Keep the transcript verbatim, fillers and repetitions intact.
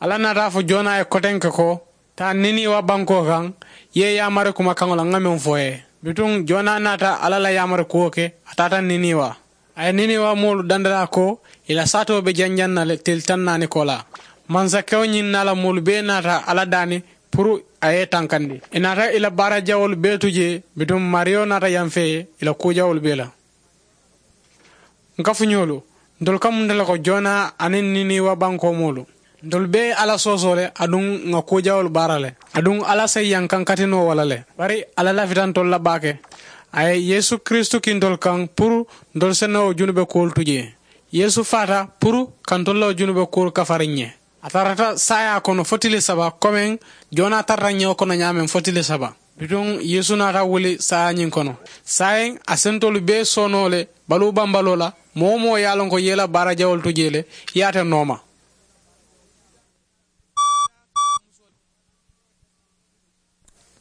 Alla naata a fo jonaa ye kotenke ko, taa niniiwa bankoo kaŋ, i ye yaamari kuma kaŋo la ŋa meŋ fo i ye. Bituŋ jonaa naata alla la yaamari kuwo ke, a taata niniiwa. A ye niniiwa moolu dandalaa ko, i la saatoo be janjaŋ na le tili taŋ naani koolaa. Mansakewo ñiŋ naa la moolu bee naata alla daani puru a ye i tankandi. I naata i la baara jawoolu bee tu jee, bituŋ maariyo naata yanfee i la kuu jawoolu bee la. N kafuñoolu, ntolu ka munta le ko jonaa aniŋ niniiwa bankoo moolu? Ntolu bee ye alla soosoo le, aduŋ ŋa kuu jawoolu baara le, aduŋ alla se yankaŋ kati noo wo la le. Bari alla lafita ntolu la baake. A ye yeesu kiristu kii ntolu kaŋ puru ntolu se noo wo junube kuwolu tu jee. Yeesu faata puru ka ntolu la wo junube kuwolu kafari n ye. A tarata saayaa kono fo tili saba komeŋ jonaa tarata ñewo kono ñaameŋ fo tili saba. Bituŋ yeesu naata wuli saayaa ñiŋ kono. Saayiŋ a sentolu bee soonoo le baluu bambaloo la. Moo wo moo ye a loŋ ko i ye i la baara jawolu tu jee le, i ye a te nooma.